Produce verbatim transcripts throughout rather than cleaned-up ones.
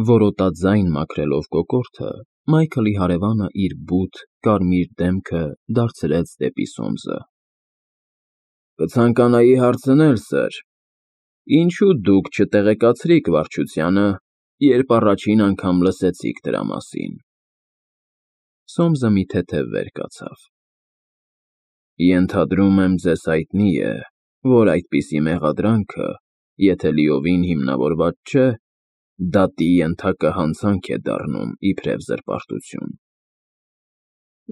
որոտաձայն մաքրելով կոկորդը, Մայքլի հարևանը իր բութ, կարմիր դեմքը դարձրեց դեպի Սոմսը։ ֊ Կցանկանայի հարցնել, սըր, ինչո՞ւ դուք չտեղեկացրիք վարչությանը, երբ առաջին անգամ լսեցիք դրա մասին։ Սոմսը մի թեթև վեր կացավ։ ֊ Ենթադրում եմ, ձեզ հայտնի է, որ այդպիսի մեղադրանքը, եթե լիովին հիմնավորված չէ, դատի ենթակա հանցանք է դառնում իբրև զրպարտություն։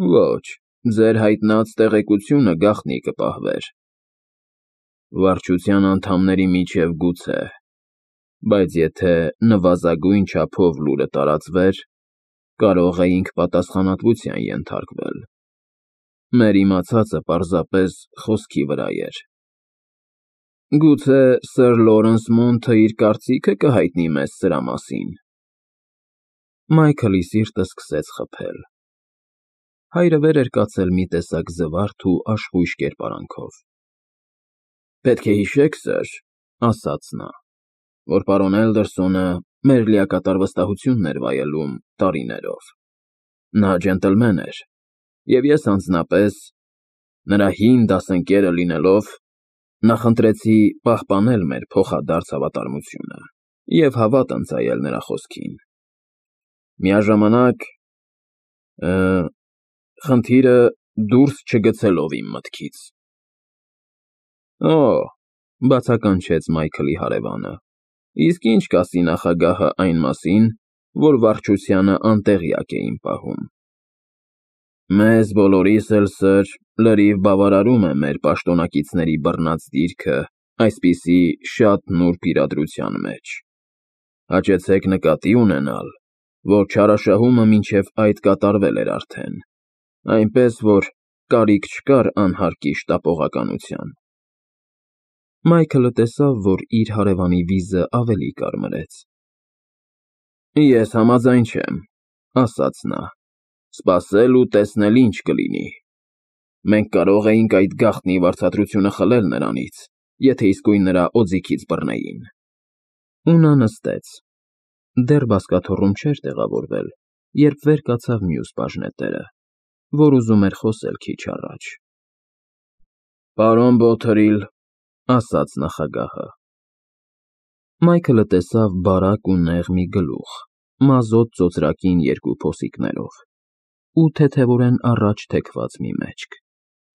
֊ Ոչ, ձեր հայտնած տեղեկությունը գաղտնի կպահվեր։ Վարչության անդամների միջև գուցե, բայց եթե նվազագույն չափով լուրը տարածվեր, կարող էինք պատասխանատվության ենթարկվել։ Մեր իմացածը պարզապես խոսքի վրա էր։ Գուցե սըր Լորենս Մոնթը իր կարծիքը կհայտնի մեզ սրա մասին։ Մայքլի սիրտը սկսեց խփել։ Հայրը վեր էր կացել մի տեսակ զվարթ ու աշխույժ կերպարանքով։ ֊ Պետք է հիշեք, սըր, ֊ ասաց նա, ֊ որ պարոն Էլդերսոնը մեր լիակատար վստահությունն էր վայելում տարիներով։ Նա ջենտլմեն էր, և ես անձնապես, նրա հին դասընկերը լինելով, նախընտրեցի պահպանել մեր փոխադարձ հավատարմությունը և հավատ ընծայել նրա խոսքին։ Միաժամանակ, խնդիրը դուրս չգցելով իմ մտքից։ ֊ Օ՜, ֊ բացականչեց Մայքլի հարևանը, ֊ իսկ ի՞նչ կասի նախագահը այն մասին, որ վարչությանը անտեղյակ է իմ պահում։ ֊ Մեզ բոլորիս էլ, սըր, լրիվ բավարարում է մեր պաշտոնակիցների բռնած դիրքը այսպիսի շատ նուրբ իրադրության մեջ։ Հաճեցեք նկատի ունենալ, որ չարաշահումը մինչև այդ կատարվել էր արդեն, այնպես որ կարիք չկար անհարկի շտապողականության։ Մայքլը տեսավ, որ իր հարևանի վիզը ավելի կարմրեց։ ֊ Ես համաձայն չեմ, ֊ ասաց նա, ֊ սպասել ու տեսնել ինչ կլինի։ Մենք կարող էինք այդ գաղտնի վարձատրությունը խլել նրանից, եթե իսկույն նրա օձիքից բռնեին։ Ու նա նստեց։ Դեռ բազկաթոռում չէր տեղավորվել, երբ վեր կացավ մյուս բաժնետերը, որ ուզում էր խոսել քիչ առաջ։ ֊ Պարոն Բոթերիլ, ֊ ասաց նախագահը։ Մայքլը տեսավ բարակ ու նեղ մի գլուխ, մազոտ ծոծրակին երկու փոսիկներով, ու թեթևորեն առաջ թեքված մի մեջք,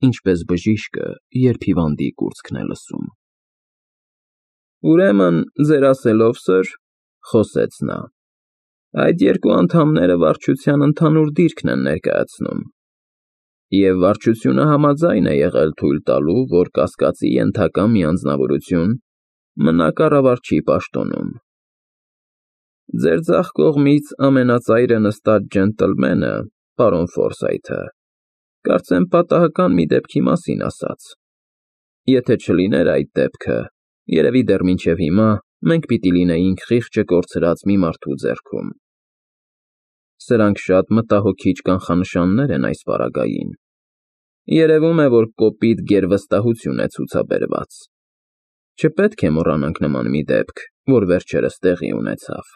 ինչպես բժիշկը, երբ հիվանդի կուրծքն է լսում։ ֊ Ուրեմն, ձեր ասելով, սըր, ֊ խոսեց նա, ֊ այդ երկու անդամները վարչության ընդհանուր դիրքն են ներկայացնում, և վարչությունը համաձայն է եղել թույլ տալու, որ կասկածի ենթակա մի անձնավորություն մնա կառավարչի պաշտոնում։ Ձեր ձախ կողմից ամենածայրը նստած ջենտլմենը, պարոն Ֆորսայթը, կարծեմ պատահական մի դեպքի մասին ասաց։ Եթե չլիներ այդ դեպքը, երևի դեռ մինչև հիմա մենք պիտի լինեինք խիղճը կորցրած մի մարդու ձեռքում։ Սրանք շատ մտահոգիչ կանխանշաններ են այս պարագային։ Երևում է, որ կոպիտ գերվստահություն է ցուցաբերված։ Չպետք է մոռանանք նման մի դեպք, որ վերջերս տեղի ունեցավ։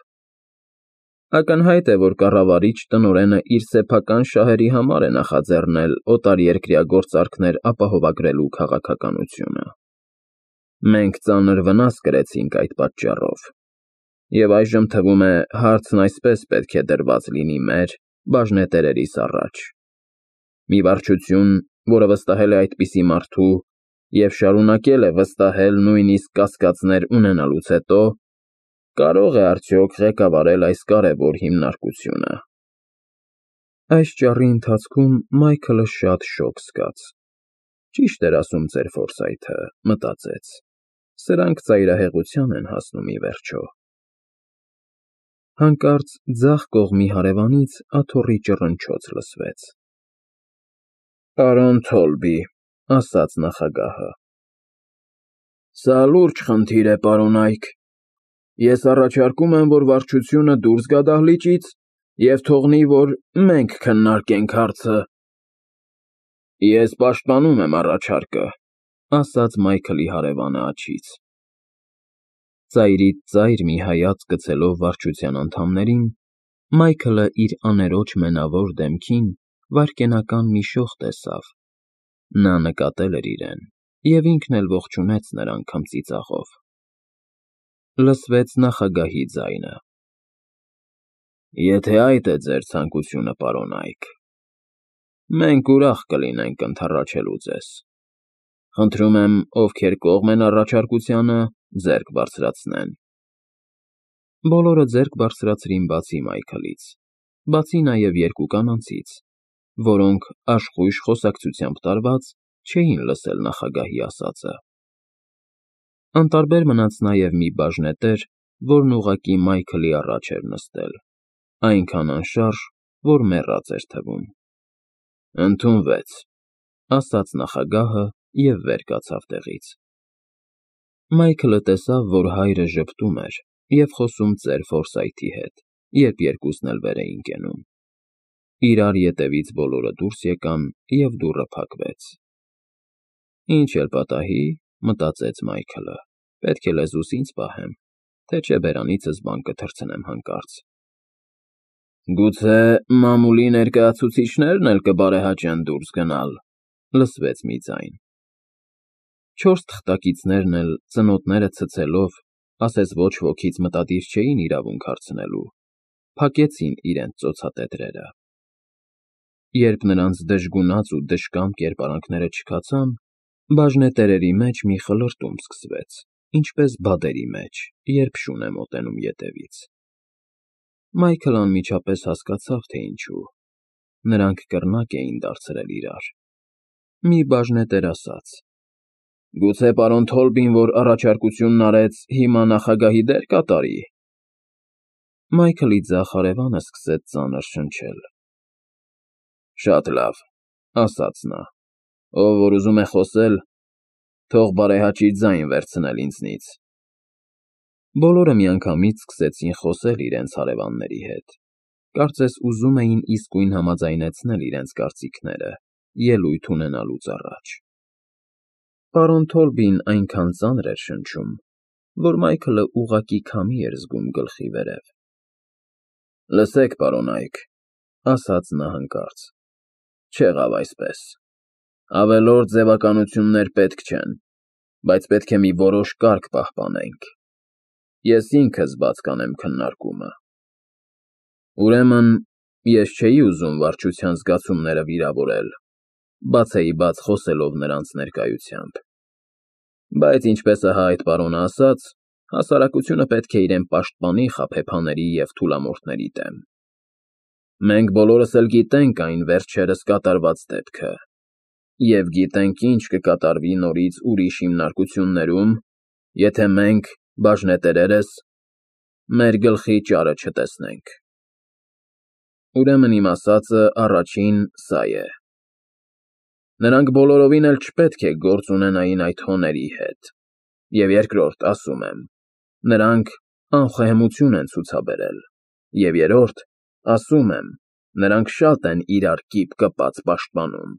Ակնհայտ է, որ կառավարիչ տնօրենը իր սեփական շահերի համար է նախաձեռնել օտարերկրյա գործարքներ ապահովագրելու քաղաքականությունը։ Մենք ծանր վնաս կրեցինք այդ պատճառով, և այժմ թվում է հարցն այսպես պետք է դրված լինի մեր, բաժնետերերիս առաջ։ Մի վարչություն, որը վստահել է այդպիսի մարդու և շարունակել է վստահել նույնիսկ կասկածներ ունենալուց հետո, կարո՞ղ է արդյոք ղեկավարել այս կարևոր հիմնարկությունը։ Այս ճառի ընթացքում Մայքլը շատ շոգ զգաց։ Ճիշտ էր ասում ծեր Ֆորսայթը, մտածեց, սրանք ծայրահեղության են հասնում ի վերջո։ Հանկարծ ձախ կողմի հարևանից աթոռի ճռնչոց լսվեց։ ֊ Պարոն Թոլբի, ֊ ասաց նախագահը։ ֊ Սա լուրջ խնդիր է, պարոն Այք։ Ես առաջարկում եմ, որ վարչությունը դուրս գա դահլիճից և թողնի, որ մենք քննարկենք հարցը։ ֊ Ես պաշտպանում եմ առաջարկը, ֊ ասաց Մայքլի հարևանը աջից։ Ծայրից ծայր մի հայացք գցելով վարչության անդամներին, Մայքլը իր աներոջ մենավոր դեմքին վայրկենական մի շող տեսավ. նա նկատել էր իրեն և ինքն էլ ողջունեց նրան քմծիծաղով։ Լսվեց նախագահի ձայնը. Եթե այդ է ձեր ցանկությունը, պարոն Այք, մենք ուրախ կլինենք ընդառաջելու ձեզ։ Խնդրում եմ, ովքեր կողմ են առաջարկությանը, ձեռք բարձրացնեն։ Բոլորը ձեռք բարձրացրին բացի Մայքլից, բացի նաև երկու կանանցից, որոնք, աշխույժ խոսակցությամբ տարված, չէին լսել նախագահի ասածը։ Անտարբեր մնաց նաև մի բաժնետեր, որն ուղղակի Մայքլի առաջ էր նստել, այնքան անշարժ, որ մեռած էր թվում։ Ընդունվեց, ասաց նախագահը և վեր կացավ տեղից։ Մայքլը տեսավ, որ հայրը ժպտում էր և խոսում ծեր Ֆորսայթի հետ, երբ երկուսն էլ վեր էին կենում։ Իրար ետևից բոլորը դուրս եկան, և դուռը փակվեց։ Ինչ էլ պատահի, մտածեց Մայքլը, պետք է լեզուս ինձ պահեմ, թե չէ բերանիցս բան կթռցնեմ հանկարծ։ Գուցե մամուլի ներկայացուցիչներն էլ կբարեհաճեն դուրս գնալ, լսվեց մի ձայն։ Չորս թղթակիցներն էլ, ծնոտները ցցելով, ասես ոչ ոքից մտադիր չէին իրավունք հարցնելու, փակեցին իրենց ծոցատետրերը։ Երբ նրանց դժգունած ու դժկամ կերպարանքները չքացան, բաժնետերերի մեջ մի խլրտում սկսվեց, ինչպես բադերի մեջ, երբ շուն է մոտենում ետևից։ Մայքլն անմիջապես հասկացավ, թե ինչու։ Նրանք կռնակ էին դարձրել իրար։ Մի բաժնետեր ասաց. Գուցե պարոն Թոլբին, որ առաջարկությունն արեց, հիմա նախագահի դեր կատարի։ Մայքլի ձախ հարևանը սկսեց ծանր շնչել։ Շատ լավ, ասաց նա, ով որ ուզում է խոսել, թող բարեհաճի ձայն վերցնել ինձնից։ Բոլորը միանգամից սկսեցին խոսել իրենց հարևանների հետ, կարծես ուզում էին իսկույն համաձայնեցնել իրենց կարծիքները, ելույթ ունենալուց առաջ։ Պարոն Թոլբին այնքան ծանր էր շնչում, որ Մայքլը ուղղակի քամի էր զգում գլխի վերև։ Լսեք, պարոն Այք, ասաց նա հանկարծ, չեղավ այսպես։ Ավելորդ ձևականություններ պետք չեն, բայց պետք է մի որոշ կարգ պահպանենք։ Ես ինքս բաց կանեմ քննարկումը։ Ուրեմն, ես չէի ուզում վարչության զգացումները վիրավորել, բացեի բաց խոսելով նրանց ներկայությամբ։ Բայց ինչպես ահա այդ պարոնը ասաց, հասարակությունը պետք է իրեն պաշտպանի խաբեբաների և թուլամորթների դեմ։ Մենք բոլորս էլ գիտենք այն վերջերս կատարված դեպքը, և գիտենք ինչ կկատարվի նորից ուրիշ հիմնարկություններում, եթե մենք, բաժնետերերս, մեր գլխի ճարը չտեսնենք։ Ուրեմն իմ ասածը առաջին սա է. նրանք բոլորովին էլ չպետք է գործ ունենային այդ հոների հետ, և երկրորդ, ասում եմ, նրանք անխոհեմություն են ցուցաբերել, և երրորդ, ասում եմ, նրանք շատ են իրար կիպ կպած պաշտպանում։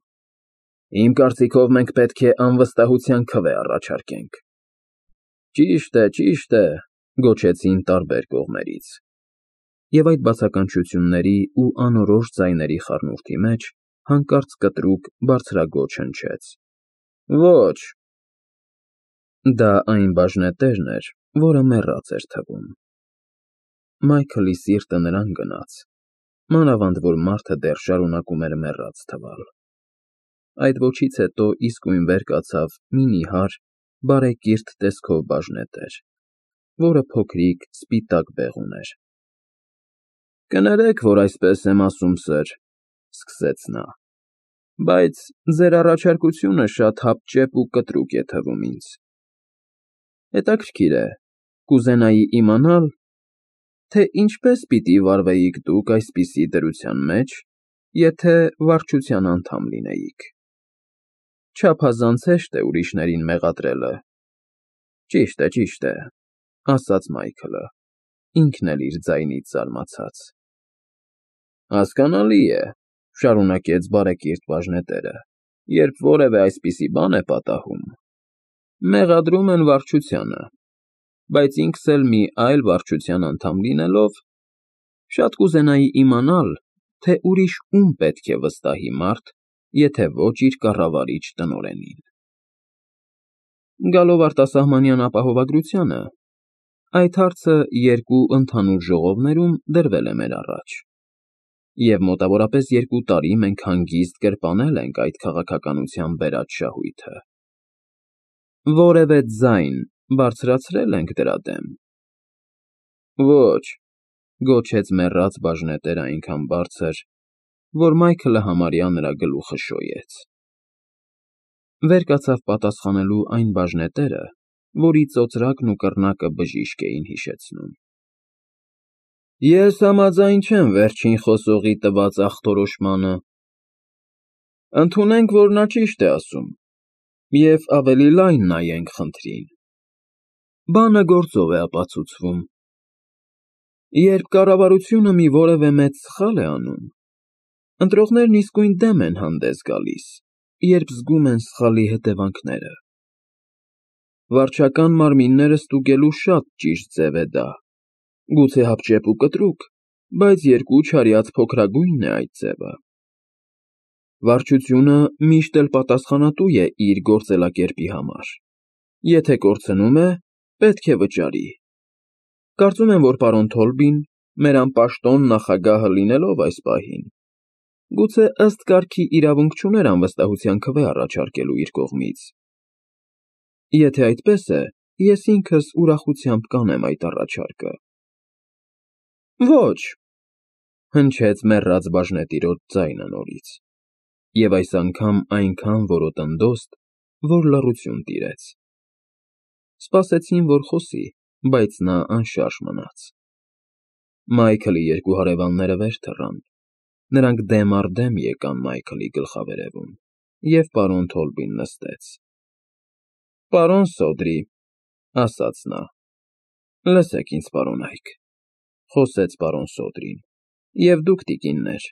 Իմ կարծիքով մենք պետք է անվստահության քվե առաջարկենք։ Ճիշտ է, ճիշտ է, գոչեցին տարբեր կողմերից։ Եվ այդ բացականչությունների ու անորոշ ձայների խառնուրդի մեջ հանկարծ կտրուկ բարձրագոչ հնչեց. Ոչ։ Դա այն բաժնետերն էր, որը մեռած էր թվում։ Մայքլի սիրտը նրան գնաց, մանավանդ որ մարդը դեռ շարունակում էր մեռած թվալ։ Այդ ոչից հետո իսկույն վեր կացավ մի նիհար, բարեկիրթ տեսքով բաժնետեր, որը փոքրիկ սպիտակ բեղ ուներ։ Կներեք, որ այսպես եմ ասում, սըր, սկսեց նա, բայց ձեր առաջարկությունը շատ հապճեպ ու կտրուկ է թվում ինձ։ Հետաքրքիր է, կուզենայի իմանալ, թե ինչպես պիտի վարվեիք դուք այսպիսի դրության մեջ, եթե վարչության անդամ լինեիք։ Չափազանց հեշտ է ուրիշներին մեղադրելը։ Ճիշտ է, ճիշտ է, ասաց Մայքլը, ինքն էլ իր ձայնից զարմացած։ Հասկանալի է, շարունակեց բարեկիրթ բաժնետերը, երբ որևէ այսպիսի բան է պատահում, մեղադրում են վարչությանը։ բայց ինքս էլ մի այլ վարչության անդամ լինելով, շատ կուզենայի իմանալ, թե ուրիշ ում պետք է վստահի մարդ, եթե ոչ իր կառավարիչ տնօրենին։ Գալով արտասահմանյան ապահովագրությանը, այդ հարցը երկու ընդհանուր ժողովներում դրվել է մեր առաջ, և մոտավորապես երկու տարի մենք հանգիստ գրպանել ենք այդ քաղաքականության բերած շահույթը։ Որևէ ձայն բարձրացրե՞լ ենք դրա դեմ։ Ոչ, գոչեց մեռած բաժնետերը այնքան բարձր, որ Մայքլը համարյա նրա գլուխը շոյեց։ Վեր կացավ պատասխանելու այն բաժնետերը, որի ծոծրակն ու կռնակը բժիշկ էին հիշեցնում։ Ես համաձայն չեմ վերջին խոսողի տված ախտորոշմանը։ Ընդունենք, որ նա ճիշտ է ասում, և ավելի լայն նայենք խնդրին։ Բանը գործով է ապացուցվում։ Երբ կառավարությունը մի որևէ մեծ սխալ է անում, ընտրողներն իսկույն դեմ են հանդես գալիս, երբ զգում են սխալի հետևանքները։ Վարչական մարմինները ստուգելու շատ ճիշտ ձև է դա, գուցե հապճեպ ու կտրուկ, բայց երկու չարյաց փոքրագույնն է այդ ձևը։ Վարչությունը միշտ էլ պատասխանատու է իր գործելակերպի համար։ Եթե կորցնում է, պետք է վճարի։ Կարծում եմ, որ պարոն Թոլբին, մեր անպաշտոն նախագահը լինելով այս պահին, գուցե ըստ կարգի իրավունք չուներ անվստահության քվե առաջարկելու իր կողմից։ Եթե այդպես է, ես ինքս ուրախությամբ կանեմ այդ առաջարկը։ Ոչ, հնչեց մեռած բաժնետիրոջ ձայնը նորից, և այս անգամ այնքան որոտնդոստ, որ լռություն տիրեց։ Սպասեցին, որ խոսի, բայց նա անշարժ մնաց։ Մայքլի երկու հարևանները վեր թռան, նրանք դեմ առ դեմ եկան Մայքլի գլխավերևում, և պարոն Թոլբին նստեց։ Պարոն Սոդրի, ասաց նա։ Լսեք ինձ, պարոնայք, խոսեց պարոն Սոդրին, և դուք, տիկիններ։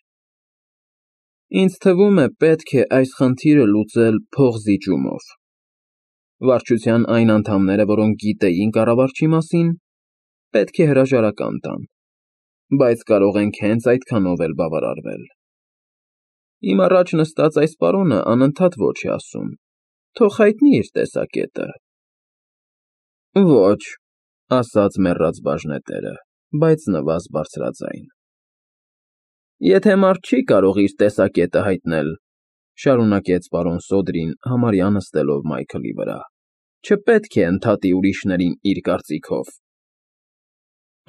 Ինձ թվում է, պետք է այս խնդիրը լուծել փոխզիջումով։ Վարչության այն անդամները, որոնք գիտեին կառավարչի մասին, պետք է հրաժարական տան, բայց կարող ենք հենց այդքանով էլ բավարարվել։ Իմ առաջ նստած այս պարոնը անընդհատ ոչ է ասում, թող հայտնի իր տեսակետը։ Ոչ, ասաց մեռած բաժնետերը, բայց նվազ բարձրաձայն։ Եթե մարդ չի կարող իր տեսակետը հայտնել, շարունակեց պարոն Սոդրին, համարյա նստելով Մայքլի վրա, չպետք է ընդհատի ուրիշներին իր կարծիքով։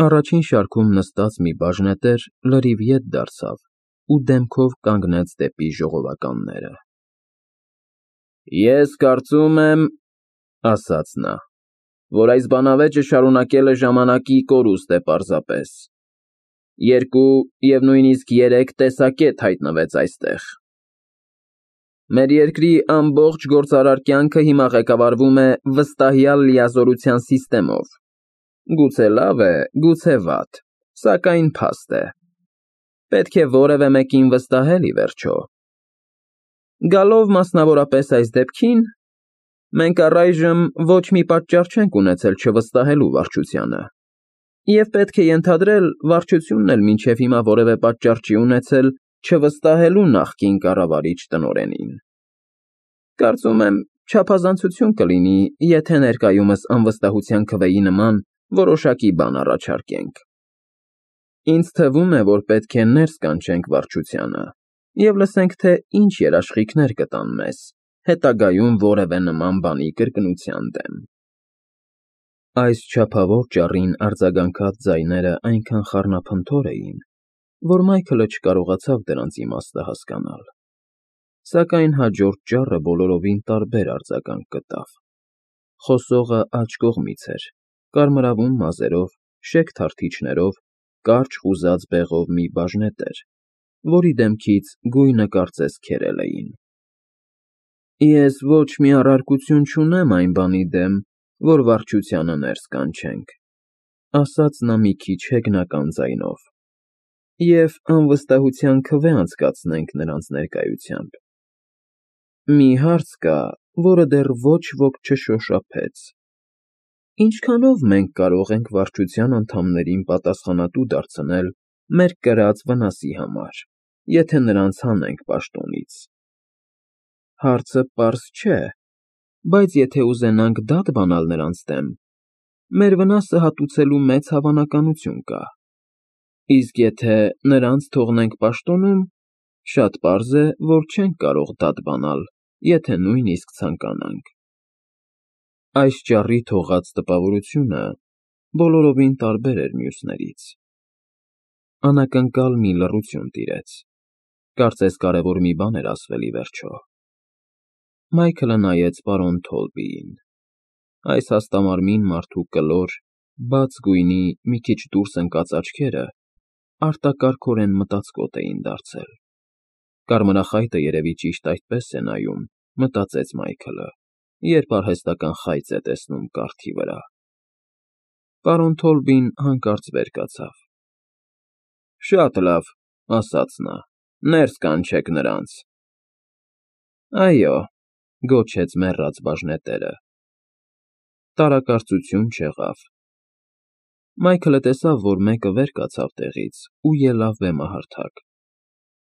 Առաջին շարքում նստած մի բաժնետեր լրիվ ետ դարձավ ու դեմքով կանգնեց դեպի ժողովականները։ Ես կարծում եմ, ասաց նա, որ այս բանավեճը շարունակելը ժամանակի կորուստ է պարզապես։ Երկու և նույնիսկ երեք տեսակետ հայտնվեց այստեղ։ Մեր երկրի ամբողջ գործարար կյանքը հիմա ղեկավարվում է վստահյալ լիազորության սիստեմով։ Գուցե լավ է, գուցե վատ, սակայն փաստ է։ Պետք է որևէ մեկին վստահել ի վերջո։ Գալով մասնավորապես այս դեպքին, մենք առայժմ ոչ մի պատճառ չենք ունեցել չվստահելու վարչությանը, և պետք է ենթադրել, վարչությունն էլ մինչև հիմա որևէ պատճառ չի ունեցել չվստահելու նախկին կառավարիչ տնօրենին։ Կարծում եմ, չափազանցություն կլինի, եթե ներկայումս անվստահության քվեի նման որոշակի բան առաջարկենք։ Ինձ թվում է, որ պետք է ներս կանչենք վարչությանը և լսենք, թե ինչ երաշխիքներ կտան մեզ, հետագայում որևէ նման բանի կրկնության դեմ։ Այս չափավոր ճառին արձագանքած ձայները այնքան խառնափնթոր էին, որ Մայքլը չկարողացավ դրանց իմաստը հասկանալ, սակայն հաջորդ ճառը բոլորովին տարբեր արձագանք գտավ։ Խոսողը աջ կողմից էր, կարմրավուն մազերով, շեկ թարթիչներով, կարճ խուզած բեղով մի բաժնետեր, որի դեմքից գույնը կարծես քերել էին։ Ես ոչ մի առարկություն չունեմ այն բանի դեմ, որ վարչությանը ներս կանչենք, ասաց նա մի քիչ հեգնական ձայնով, և անվստահության քվե անցկացնենք նրանց ներկայությամբ։ Մի հարց կա, որը դեռ ոչ ոք չշոշափեց։ Ինչքանո՞վ մենք կարող ենք վարչության անդամներին պատասխանատու դարձնել մեր կրած վնասի համար, եթե նրանց հանենք պաշտոնից։ Հարցը պարզ չէ, բայց եթե ուզենանք դատ բանալ նրանց դեմ, մեր վնասը հատուցելու մեծ հավանականություն կա, իսկ եթե նրանց թողնենք պաշտոնում, շատ պարզ է, որ չենք կարող դատ բանալ, եթե նույնիսկ ցանկանանք։ Այս ճառի թողած տպավորությունը բոլորովին տարբեր էր մյուսներից։ Անակնկալ մի լռություն տիրեց, կարծես կարևոր մի բան էր ասվել ի վերջո։ Մայքլը նայեց պարոն Թոլբիին։ Այս հաստամարմին մարդու կլոր, բաց գույնի, մի քիչ դուրս ընկած աչքերը արտակարգորեն մտածկոտ էին դարձել։ Կարմրախայտը երևի ճիշտ այդպես է նայում, մտածեց Մայքլը, երբ արհեստական խայծ է տեսնում կառքի վրա։ Պարոն Թոլբին հանկարծ վեր կացավ։ Շատ լավ, ասաց նա, ներս կանչեք նրանց։ Այո, գոչեց մեռած բաժնետերը։ Տարակարծություն չեղավ։ Մայքլը տեսավ, որ մեկը վեր կացավ տեղից ու ելավ բեմահարթակ։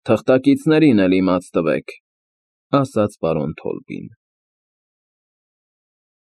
Թղթակիցներին էլ իմաց տվեք, ասաց պարոն Թոլբին։